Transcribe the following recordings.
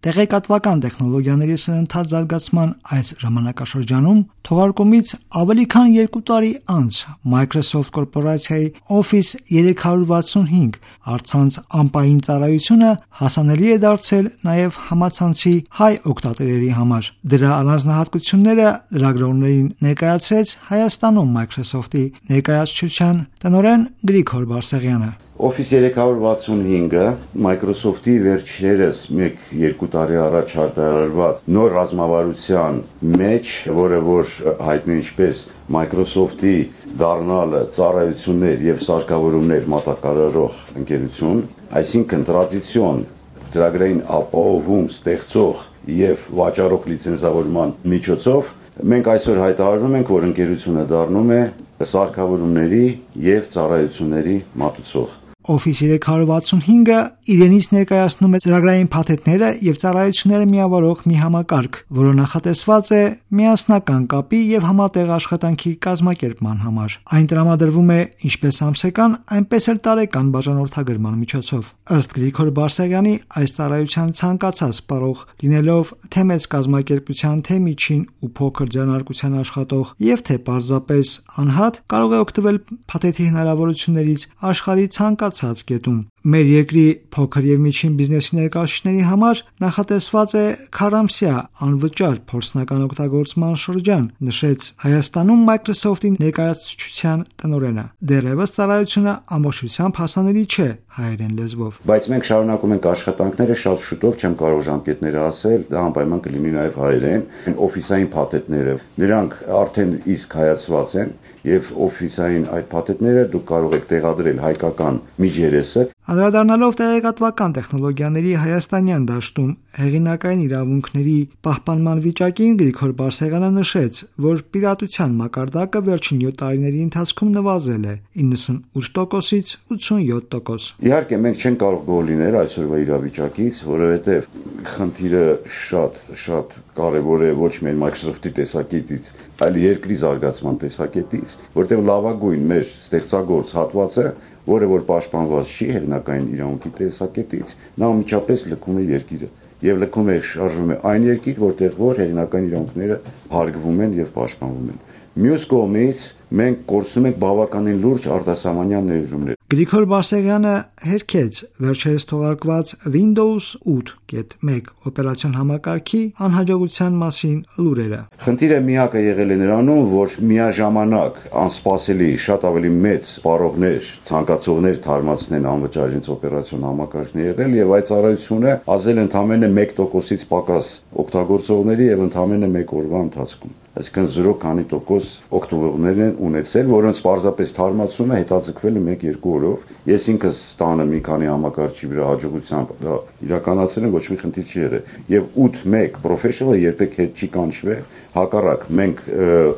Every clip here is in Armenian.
Տեղեկատվական տեխնոլոգիաների սրընթաց զարգացման այս ժամանակաշրջանում թողարկումից ավելի քան 2 տարի անց Microsoft կորպորացիայի Office 365 առցանց ամպային ծառայությունը հասանելի է դարձել նաև համացանցի հայ օգտատերերի համար։ Դրա առանձնահատկությունները լրագրողներին ներկայացրեց Հայաստանում Microsoft-ի ներկայացուցչության տնօրեն Գրիգոր Բարսեղյանը։ Office 365-ը Microsoft-ի վերջերս 1-2 տարի առաջ արտադրված նոր ռազմավարության մեջ, որը որ հայտնի ինչպես Microsoft-ի դառնալը ծառայություններ եւ սարքավորումներ մատակարարող ընկերություն, այսինքն տրադիցիոն ծրագրային ապահովում ստեղծող եւ վաճառող լիցենզավորման միջոցով մենք այսօր հայտարարում ենք, որ ընկերությունը դառնում է սարքավորումների եւ ծառայությունների մատուցող։ Office 365-ը իրենից ներկայացնում է ծրագրային փաթեթները եւ ծառայությունները միավորող մի համակարգ, որը նախատեսված է միասնական կապի եւ համատեղ աշխատանքի կազմակերպման համար։ Այն տրամադրվում է ինչպես ամսական, այնպես էլ տարեկան բաժանորդագրման միջոցով։ Ըստ Գրիգոր Բարսեղյանի, այս ծառայության ցանկացած սպառող լինելով թե մեծ կազմակերպության, թե միջին ու փոքր ձեռնարկության աշխատող եւ թե պարզապես անհատ, կարող է օգտվել փաթեթի հնարավորություններից աշխարհի ցանկացած կետում։ Մեր երկրի փոքր եւ միջին բիզնեսի ներկայացուցիչների համար նախատեսված է քառամսյա անվճար փորձնական օգտագործման շրջան, նշեց Հայաստանում Microsoft-ի ներկայացուցչության տնօրենը։ Դեռևս ծառայությունը ամբողջությամբ հասանելի չէ հայերեն լեզվով։ Բայց մենք շարունակում ենք աշխատանքները, շատ շուտով չեմ կարող ժամկետները ասել, դա անպայման կլինի նաև հայերեն։ Օֆիսային փաթեթները, նրանք արդեն իսկ հայացված են եւ օֆիսային այդ փաթեթները դուք կարող եք տեղադրել հայկական միջերեսը։ Անդրադառնալով տեղեկատվական տեխնոլոգիաների հայաստանյան դաշտում հեղինակային իրավունքների պահպանման վիճակին, Գրիգոր Բարսեղյանը նշեց, որ պիրատության մակարդակը վերջին 7 տարիների ընթացքում նվազել է 98%-ից 87%։ Իհարկե մենք չենք կարող գոհ լինել այսօրվա իրավիճակից, որովհետեւ խնդիրը շատ կարևոր է ոչ միայն Microsoft-ի տեսակետից, այլ երկրի զարգացման տեսակետից, որտեղ լավագույն մեր ստեղծագործ հատվածը, որը որ պաշտպանված չի հեղինակային իրավունքի տեսակետից, նա անմիջապես լքում է երկիրը եւ լքում է շարժվում է այն երկիր, որտեղ որ հեղինակային իրավունքները հարգվում են եւ պաշտպանվում են։ Մյուս կողմից մենք կորցնում ենք բավականին լուրջ արտասահմանյան ներդրումներ։ Գրիգոր Բարսեղյանը հերքեց վերջերս թողարկված Windows 8.1 օպերացիոն համակարգի անհաջողության մասին լուրերը։ Խնդիրը միակը եղել է նրանում, որ միաժամանակ անսպասելի շատ ավելի մեծ սպառողներ, ցանկացողներ թարմացնեն անվճար իրենց օպերացիոն համակարգն եղել եւ այդ ծառայությունը ազել ընդամենը 1%-ից պակաս օգտագործողների եւ ընդամենը 1 օրվա ընթացքում։ Այսինքն 0% օգտվողներ են ունեցել, որոնց պարզապես թարմացումը հետաձգվել է 1-2 օրով։ Ես ինքս տանը մի քանի համակարգի վրա հաջողությամբ դա իրականացել եմ, ոչ մի խնդիր չի եղել։ Եվ 8.1 professional երբեք հետ չի կանչվել, հակառակ մենք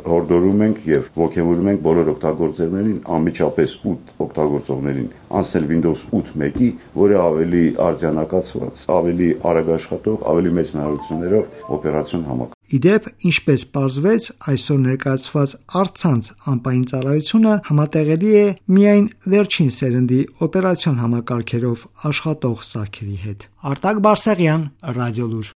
հորդորում ենք եւ ողջևորում ենք բոլոր օգտագործողներին անմիջապես 8 օգտագործողներին անցնել Windows 8.1-ի, որը ավելի արդյունակացված, ավելի արագ աշխատող, ավելի մեծ հնարավորություններով օպերացիոն համակարգ։ Իդեպ, ինչպես պարզվեց, այսօր ներկայացված առցանց ամպային ծառայությունը համատեղելի է միայն վերջին սերնդի օպերացիոն համակարգերով աշխատող սարքերի հետ։ Արտակ Բարսեղյան, Ռադիոլուր։